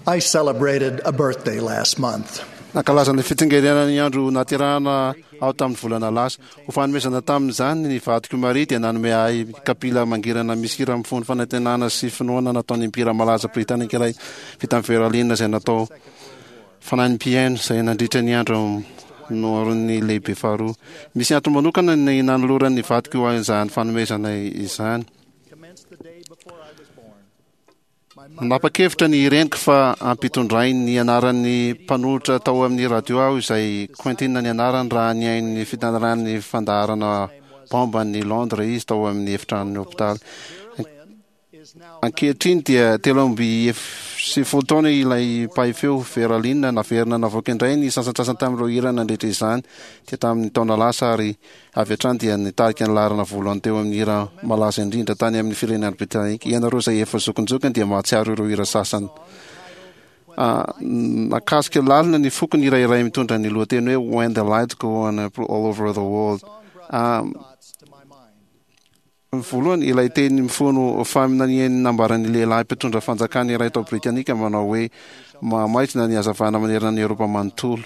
I celebrated a birthday last month. Nankalaza ny fitsingerenan'ny andro nahaterahana aho tamin'ny volana lasa. Ho fanomezana tamin'izany, ny vadiko Maria dia nanome ahy kapila mangirana misy hira mifono fanantenana sy finoana nataon'ny mpihira malaza britanika iray vita amin'ny Vera Lynn izay natao fanahin'ny mpihaino izay nandritra ny andro noharon'ny lehibe faharoa. Misy antony manokana ny nanoloran'ny vadiko izany fanomezana izany. Nanapa-kevitra ny reniko fa hampitondrainy ny anaran'ny mpanolotra tao amin'ny radio aho izay Quentin ny anarany raha nihaino ny fitantaran'ny fandaharana Bomba an'i Londres izy tao amin'ny efitranon'ny hopitaly. Ankehitriny dia 93 taona ilay mpahay feo Vera Lynn. Naverina navoaka indray ny sasantsasany tamin'ireo hirany nandritra izany dia tamin'ny taona lasa ary Avy hatrany dia nitarika ny laharana voalohany teo amin'ny hira malaza indrindra tany amin'ny firenena Britanika. Ianareo izay efa zokinjokiny dia mahatsiaro ireo hira sasany. Nakasika lalina ny foko ny hira iray mitondra ny lohateny hoe When the Lights Go On All Over the World. Voalohany, ilay teny mifono faminanian'ny nambaran'ny lehilahy mpitondra fanjakana iray tao Britanika manao hoe, Mahamaizina ny hazavana manerana an'i Eoropa manontolo.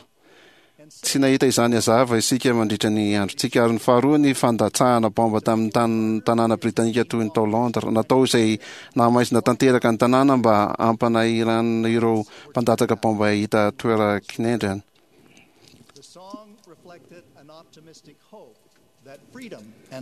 Tsy nahita izany hazava isika mandritra ny androntsika. Ary ny faharoa, ny fandatsahana baomba tamin'ny tanàna britanika toy ny tao Londres. Natao izay nahamaizina tanteraka ny tanàna mba hampanahiranana ireo mpandatsaka baomba hahita toeran-kinendrena.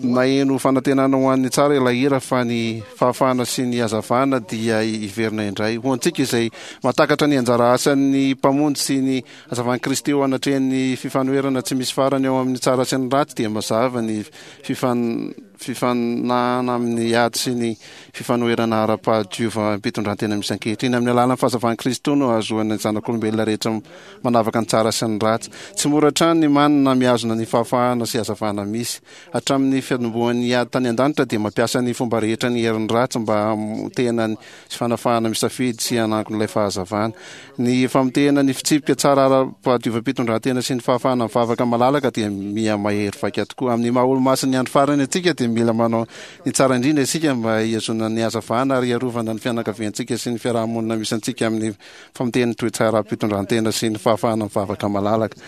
Naheno fanantenana ho an'ny tsara ilay hira fa ny fahafahana sy ny hazavana dia hiverina indray. Ho antsika izay mahatakatra ny anjara asan'ny Mpamonjy sy ny hazavan'i Kristy eo anatrehan'ny fifanoherana tsy misy farany eo amin'ny tsara sy ny ratsy dia mazava ny fifanahana amin'ny ady sy ny fifanoherana ara-pahadiovam-pitondrantena misy ankehitriny. Amin'ny alalan'ny fahazavan'i Kristy no ahazoan'ny zanak'olombelona rehetra manavaka ny tsara sy ny ratsy. Tsy mora hatrany ny manana na mihazona ny fahafahana sy hazavana misy. Hatramin'ny fiatombohan'ny ady tany an-danitra dia mampiasa ny fomba rehetra ny herin'ny ratsy mba hamotehana ny sy fanafahana misafidy sy hanangona ilay fahazavana. Ny famotehana ny fitsipika tsara ara-pahadiovam-pitondrantena sy ny fahafahana mivavaka malalaka dia miha mahery vaika tokoa. Amin'ny maha olomasin'ny andro farany antsika dia mila manao ny tsara indrindra isika mba hihazonana ny hazavana ary hiarovana ny fianakaviantsika sy ny fiaraha-monina misy antsika amin'ny Famotehan'ny toe-tsaram-pitondrantena sy ny fahafahana mivavaka malalaka.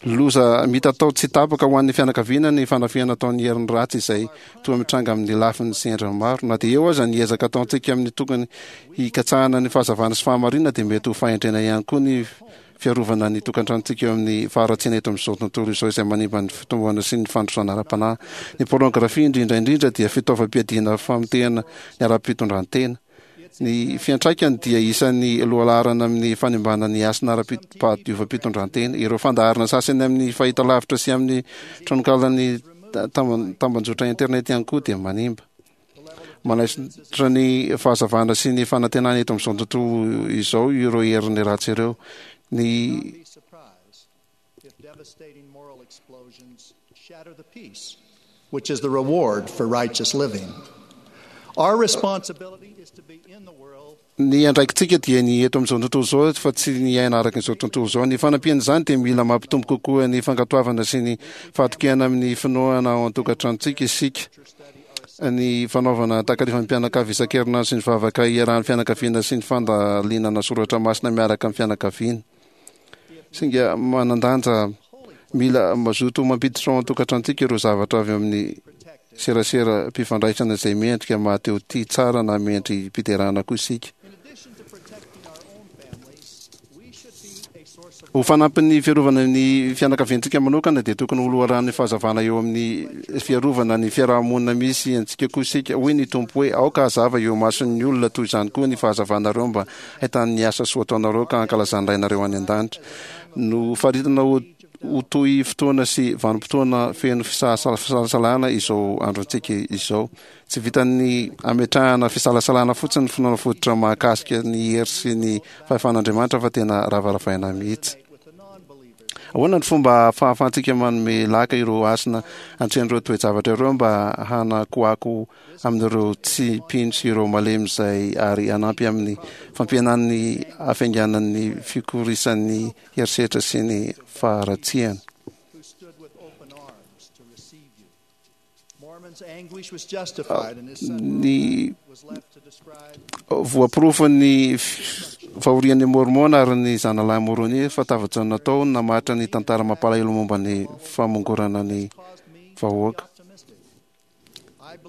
Loza mitatao tsy tapaka ho an'ny fianakaviana ny fanafihana ataon'ny herin'ny ratsy izay toa mitranga amin'ny lafiny sy endriny maro. Na dia eo aza ny ezaka ataontsika amin'ny tokony hikatsahana ny fahazavana sy fahamarinana dia mety ho fahendrena ihany koa ny fiarovana ny tokantranontsika eo amin'ny faharatsiana eto amin'izao tontolo izao izay manimba ny fitomboana sy ny fandrosoana ara-panahy. Ny pornografia indrindra indrindra dia fitaovam-piadiana famotehana ny ara-pitondrantena. Ny fiantraikany dia isan'ny lohalaharana amin'ny fanimbana ny hasina ara-pahadiovam-pitondrantena. Ireo fandaharana sasany amin'ny fahitalavitra sy amin'ny tranonkalan'ny tambanjotra internet ihany koa dia manimba. Manaisotra ny fahazavana sy ny fanantenana eto amin'izao tontolo izao ireo herin'ny ratsy ireo. Ny which is the reward for righteous living. Our responsibility is to be in the world. Ny andraikitsika dia ny eto amin'izao tontolo izao fa tsy ny hiaina araka izao tontolo izao. Ny fanampian'izany dia mila mampitombo kokoa ny fankatoavana sy ny fahatokiana amin'ny finoana ao an-tokantranontsika isika. Ny fanaovana takarivan'ny mpianakavy isan-kerinandro sy ny vavaka iarahan'ny fianakaviana sy ny fandalinana soratra masina miaraka amin'ny fianakaviana. Singa manan-danja mila mazoto mampiditra ao an-tokantranontsika ireo zavatra avy amin'ny seraseram-pifandraisana izay mendrika maha-te ho tia tsara na mendri-piderana koa isika. Ho fanampin'ny fiarovana ny fianakaviantsika manokana dia tokony ho loharanon'ny fahazavana eo amin'ny fiarovana ny fiaraha-monina misy antsika koa isika. Hoy ny Tompo hoe, Aoka hazava eo imason'ny olona toy izany koa ny fahazavanareo mba Ahitany ny asa soa ataonareo ka hankalazan'ny Rainareo any an-danitra. Nofaritana ho ho toy fotoana sy vanim-potoana feno fisalasalana izao androntsika izao. Tsy vitan'ny ametrahana fisalasalana fotsiny ny finoana fototra mahakasika ny hery sy ny fahefan'Andriamanitra fa tena ravaravaina mihitsy. Ahoana ny fomba fahafahantsika manome laka ireo hasina antrehan'ireo toe-javatra ireo mba hanakoako amin'ireo tsy mpino sy ireo malemy izay ary hanampy amin'ny fampihenana ny hafainganan'ny fikorisan'ny herisetra sy ny faharatsiana. Ny voaporofon'ny. fahorian'i Môrmôna ary ny zanalahy Môrônia fa tafajanona tao namaritra ny tantara mampalahelo momba ny famongorana ny vahoaka.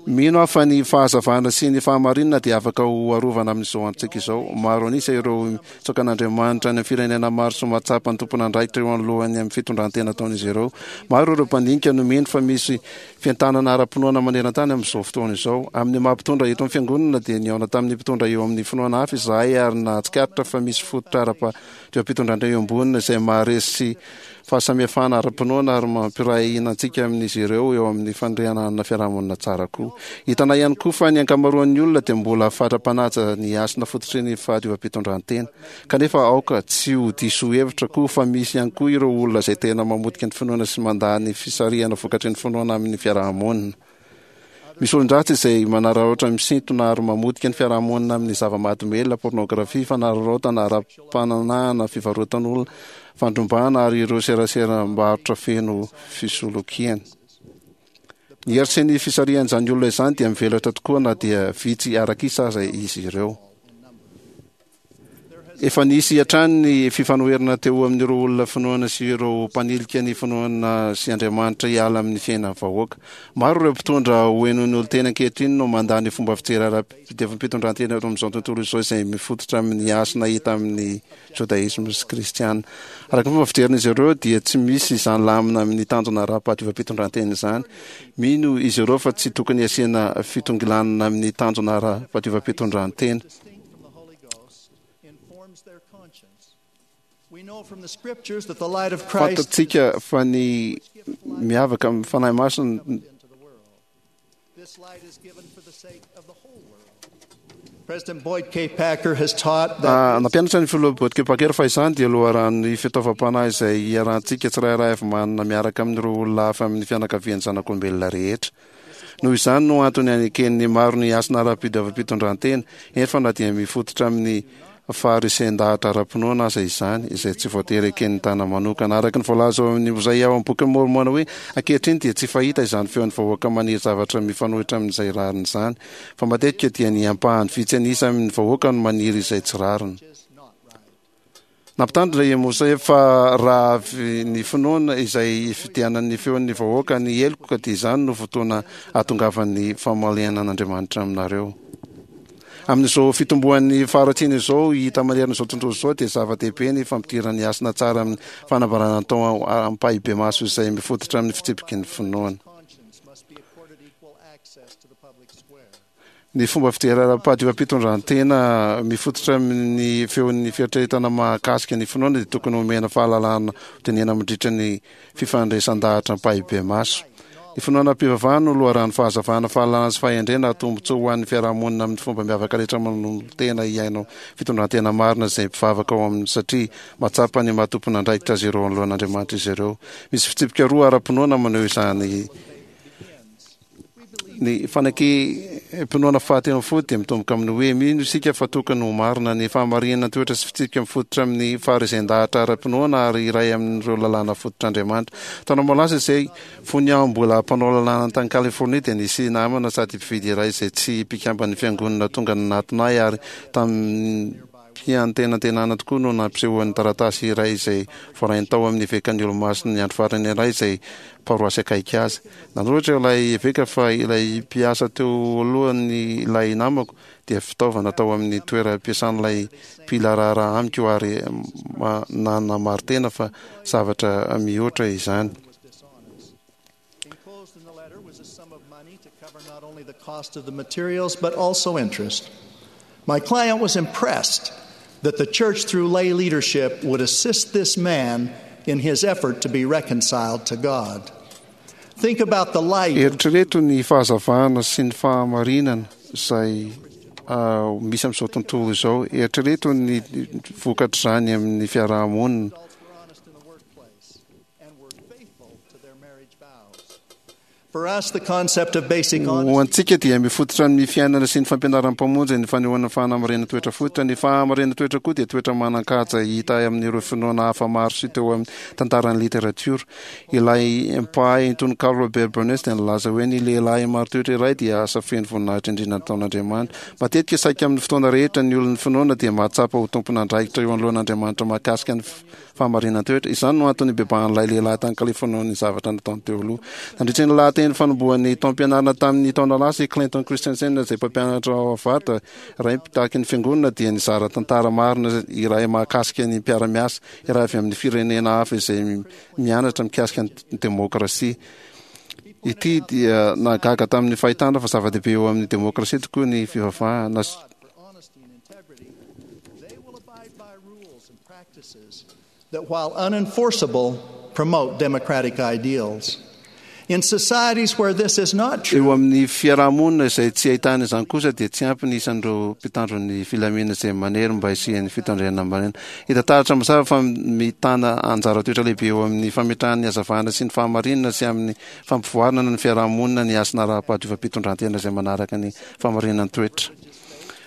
Mino aho fa ny fahazavana sy ny fahamarinana dia afaka ho arovana amin'izao androntsika izao. Maro an'isa ireo mitsaoka an'Andriamanitra any amin'ny firenena maro sy mahatsapa ny tompon'andraikitra eo anoloan'ny amin'ny fitondran-tena ataon'izy ireo. Maro ireo mpandinika no mino fa misy fientanana ara-pinoana maneran-tany amin'izao fotoana izao. Amin'ny maha mpitondra eto amin'ny Fiangonana dia nihaona tamin'ny mpitondra eo amin'ny finoana hafa izahay ary nahatsikaritra fa misy fototra ara-pitondran-tena iombonana izay maharesy fahasamihafana ara-pinoana ary mampiray hina antsika amin'izy ireo eo amin'ny fanorenana fiarahamonina tsara koa. Hitanay ihany koa fa ny ankamaroan'ny olona dia mbola fatra-panaja ny hasina fototry ny fahadiovam-pitondrantena. Kanefa aoka tsy ho diso hevitra koa fa misy ihany koa ireo olona izay tena mamotika ny finoana sy mandà ny fisarihana vokatry ny finoana amin'ny fiarahamonina. Misy olon-dratsy izay manararaotra misintona ary mamotika ny fiarahamonina amin'ny zava-mahadomelina, pornografia, fanararaotana ara-pananahana, fivarotan'olona, fandrombahana ary ireo seraseram-barotra feno fisolokiana. Ny hery sy ny fisarihan'izany olona izany dia mivelatra tokoa na dia vitsy arak'isa aza izy ireo. Efa nisy hatrany ny fifanoherana teo amin'ireo olona finoana sy ireo mpanilika ny finoana sy Andriamanitra hiala amin'ny fiainan'ny vahoaka. Maro ireo mpitondra ho henoin'ny olon-tena ankehitriny no mandà ny fomba fijery ara-pitiavam-pitondrantena eto amin'izao tontolo izao izay mifototra amin'ny hasina hita amin'ny Jodaisma sy Kristiana. Araka ny fomba fijerin'izy ireo dia tsy misy izany lamina amin'ny tanjona ara-pahadiovam-pitondrantena izany. Mino izy ireo fa tsy tokony hasiana fitongilanana amin'ny tanjona ara-pahadiovam-pitondrantena. Fantatsika fa ny miavaka amin'ny Fanahy Masina Nampianatra ny Filoha Boyd K. Packer fa izany dia loharanon'ny fitaovam-panahy izay iarahantsika tsirairay avy manana miaraka amin'ireo olona hafa amin'ny fianakavian'ny zanak'olombelona rehetra. Noho izany no antony aneken'ny maro ny hasina ara-pidiovam-pitondrantena, eny fa na dia mifototra amin'ny faharesen-dahatra ara-pinoana aza izany, izay tsy voatery eken'ny tana manokana. Araka ny voalaza ao amin'ny Mozay ao amin'ny Bokin'i Môrmôna hoe, Ankehitriny dia tsy fahita izany feon'ny vahoaka maniry zavatra mifanohitra amin'izay rariny izany, fa matetika dia ny ampahany vitsy an'isa amin'ny vahoaka no maniry izay tsy rariny. Nampitandrina i Mosè fa raha avy ny finoana izay ifidianan'ny feon'ny vahoaka ny heloka dia izany no fotoana hahatongavan'ny famalianan'Andriamanitra aminareo. Amin'izao fitomboan'ny faharatsiana izao hita manerana izao tontolo izao dia zava-dehibe ny fampidirana ny hasina tsara amin'ny fanambarana atao ampahibemaso izay mifototra amin'ny fitsipiky ny finoana. Ny fomba fijery ara-pahadiovam-pitondrantena mifototra amin'ny feon'ny fieritreretana mahakasika ny finoana dia tokony homena fahalalahana hodinihana mandritra ny fifandraisan-dahatra ampahibemaso. Ny finoana ara-pivavahana no loharanon'ny fahazavana, fahalalana sy fahendrena ary tombontsoa ho an'ny fiarahamonina amin'ny fomba miavaka rehetra manolo-tena hiaina fitondrantena marina izay mpivavaka ao aminy satria mahatsapa ny maha tompon'andraikitra azy ireo anoloan'Andriamanitra izy ireo. Misy fitsipika roa ara-pinoana maneho izany. Ny fanekem-pinoana fahatelo ambin'ny folo dia mitomboka amin'ny hoe mino isika fa tokony ho marina ny fahamarinana toetra sy fitsipika mifototra amin'ny faharezen-dahatra ara-pinoana ary iray amin'ireo lalàna fototr'Andriamanitra. Taona maro lasa izay, fony aho mbola mpanao lalàna tany Californie dia nisy namana sady mpividy iray izay tsy mpikamban'ny fiangonana tonga nanatona ahy ary tamim-piantenantenana tokoa no nampisehoany taratasy iray izay voarainy tao amin'ny evekan'ny Olomasin'ny Andro Farany iray izay paroasy akaiky azy. Nanoratra ilay eveka fa ilay mpiasa teo alohany ilay namako dia fitaovana tao amin'ny toeram-piasan'ilay mpila raharaha amiko ary nanamari-tena fa zavatra mihoatra izany. My client was impressed that the church through lay leadership would assist this man in his effort to be reconciled to God. Think about the light. Eritrereto ny fahazavana sy ny fahamarinana izay misy amin'izao tontolo izao. Eritrereto ny vokatr'izany amin'ny fiaraha-monina. For us, the concept of basic Ho honesty antsika dia mifototra amin'ny fiainana sy ny fampianaran'ny Mpamonjy ny fanehoana fahamarinana-toetra fototra. Ny fahamarinana-toetra koa dia toetra manan-kaja hita amin'ireo finoana hafa maro sy teo amin'ny tantaran'ny literatiora. Ilay mpahay tononkalo Robert Burns dia nilaza hoe ny lehilahy marin-toetra iray dia asa feno voninahitra indrindra nataon'Andriamanitra. Matetika saika amin'ny fotoana rehetra ny olon'ny finoana dia mahatsapa ho tompon'andraikitra eo anoloan'Andriamanitra mahakasika ny Fahamarinan-toetra. Izany no antony nibebahan'ilay lehilahy tany Californie noho ny zavatra nataony teo aloha. Nandritra ny lahateny fanombohan'ny taom-pianarana tamin'ny taona lasa, i Clinton Christensen, izay mpampianatra ao Harvard, iray mpitaky ny fiangonana, dia nizara tantara marina iray mahakasika ny mpiara-miasa iray avy amin'ny firenena hafa izay mianatra mikasika ny demokrasia. Ity dia nahagaga tamin'ny fahitana fa zava-dehibe eo amin'ny demokrasia tokoa ny fivavahana. That while unenforceable, promote democratic ideals. In societies where this is not true, Eo amin'ny fiaraha-monina izay tsy ahitana izany kosa dia tsy ampy ny isan'ireo mpitandro ny filaminana izay manery mba hisian'ny fitandrenana marina. Hita taratra mazava fa mitana anjara toetra lehibe eo amin'ny fametrahana ny hazavana sy ny fahamarinana sy amin'ny fampivoarana ny fiaraha-monina ny hasina ara-pahadiovam-pitondrantena izay manaraka ny fahamarinan'ny toetra.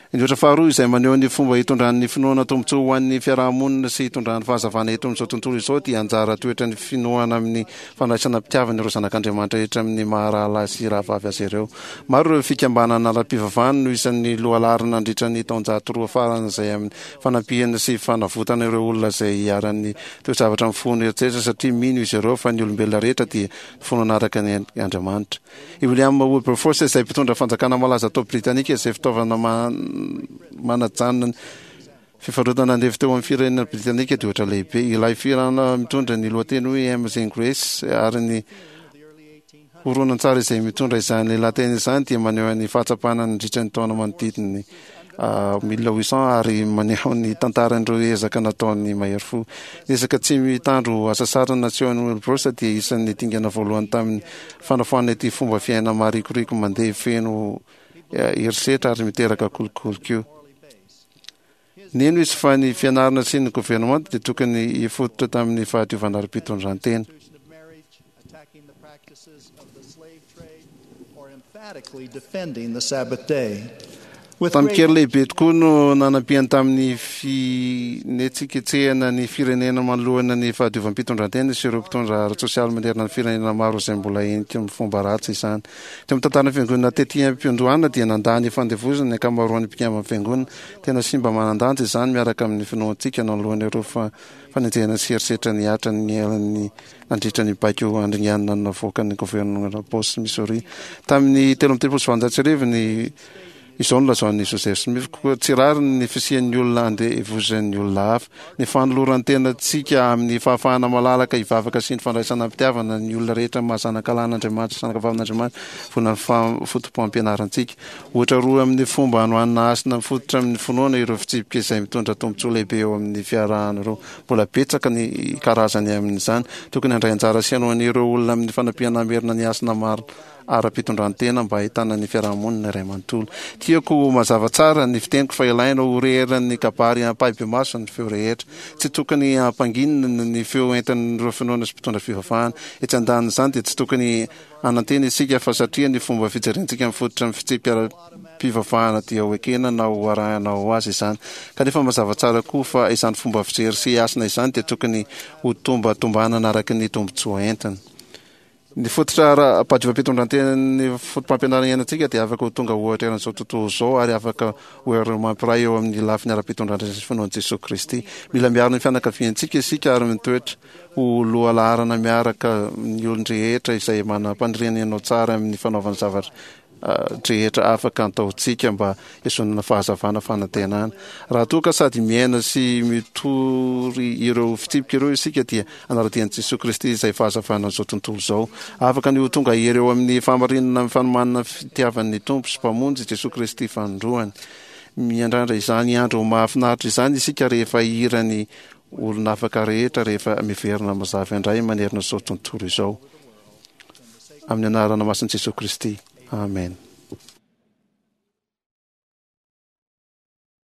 Ny ohatra faharoa izay maneho ny fomba hitondran'ny finoana tombontsoa ho an'ny fiaraha-monina sy hitondrany fahazavana eto amin'izao tontolo izao dia anjara toetran'ny finoana amin'ny fandraisana am-pitiavana ireo zanak'Andriamanitra rehetra amin'ny maha rahalahy sy rahavavy azy ireo. Maro ireo fikambanana ara-pivavahana no isan'ny lohalaharana nandritra ny taonjato roa farany izay amin'ny fanampiana sy fanavotana ireo olona izay iharan'ny toe-javatra mifono eritreritra satria mino izy ireo fa ny olombelona rehetra dia finoana araka ny Andriamanitra. I William Wilberforce izay mpitondra fanjakana malaza tao Britanika izay fitaovana manajanona ny fivarotana andevo teo amin'ny firenena Britanika dia ohatra lehibe. Ilay fihirana mitondra ny lohateny hoe Amazing Grace ary ny horonantsary izay mitondra izany lahateny izany dia maneho ny fahatsapana nandritra ny taona manodidina ny 1800 ary maneho ny tantaran'ireo ezaka nataon'ny mahery fo. Ny ezaka tsy mitandro hasasarana nasehon'i Wilberforce dia isan'ny dingana voalohany tamin'ny fanafoanana ity fomba fiaina marikoriko mandeha feno herisetra ary miteraka kolikoly koa. Nino izy fa ny fianarana sy ny governemanta dia tokony hifototra tamin'ny fahadiovana ara-pitondran-tena. Tamin-kery lehibe tokoa no nanampiany tamin'ny finetsiketsehana ny firenena manoloana ny fahadiovam-pitondrantena sy ireo mpitondra ara-tsosialy manerana ny firenena maro izay mbola henika amin'ny fomba ratsy izany. Teo amin'ny tantaran'ny fiangonana tety am-piandohana dia nandà ny fandevozana ny ankamaroan'ny mpikamban'ny fiangonana. Tena simba manan-danja izany miaraka amin'ny finoantsika nanoloana ireo fanenjehana sy herisetra nihatra ny nandritra ny baiko handringanana navoakan'ny governemanta Boss Missouri tamin'ny 1833 ny Izao no lazain'i Joseph Smith, Koa tsy rariny ny fisian'ny olona andevozan'ny olona hafa. Ny fanoloran-tenantsika amin'ny fahafahana malalaka hivavaka sy ny fandraisana am-pitiavana ny olona rehetra maha zanakalahin'Andriamanitra sy zanakavavin'Andriamanitra vao ny foto-pampianarantsika. Ohatra roa amin'ny fomba hanohanana hasina mifototra amin'ny finoana ireo fitsipika izay mitondra tombontsoa lehibe eo amin'ny fiarahana ireo. Mbola betsaka ny karazany amin'izany. Tokony handray anjara sy hanohana ireo olona amin'ny fanampiana hamerina ny hasina marina ara-pitondrantena mba hahitana ny fiarahamonina iray manontolo. Tiako ho mazava tsara ny fiteniko fa ilaina ho re eran'ny kabary ampahibemaso ny feo rehetra. Tsy tokony hampanginina ny feo entin'ireo finoana sy mpitondra fivavahana. Etsy andanin'izany dia tsy tokony Hanantena isika fa satria ny fomba fijerentsika mifototra amin'ny fitsipika ara-pivavahana dia ho ekena na ho arahina ho azy izany. Kanefa mazava tsara koa fa izany fomba fijery sy hasina izany dia tokony ho tombatombanana araka ny tombontsoa entiny. Ny fototra ara-padiovam-pitondrantenan'ny fotopampianarana iainantsika dia afaka ho tonga ohatra eran'izao tontolo izao ary afaka ho hery mampiray eo amin'ny lafiny ara-pitondrantena sy finoan'i Jesoa Kristy. Mila miaro ny fianakaviantsika isika ary mitoetra ho lohalaharana miaraka ny olon-drehetra izay manam-paniriana hanao tsara amin'ny fanaovana zavatra drehetra afaka antaontsika mba hizonana fahazavana fanantenana. Raha toa ka sady miaina sy mitory ireo fitsipika ireo isika dia hanara-dia an'i Jesoa Kristy izay fahazavana an'izao tontolo izao. Afaka ny ho tonga hery eo amin'ny fahamarinana amin'ny fanomanana ny fitiavan'ny Tompo sy Mpamonjy Jesoa Kristy fanindroany. Miandrandra izany andro mahafinaritra izany isika rehefa hihira ny Olona afaka rehetra rehefa miverina mazava indray manerana izao tontolo izao. Amin'ny anarana masin'i Jesoa Kristy. Amen.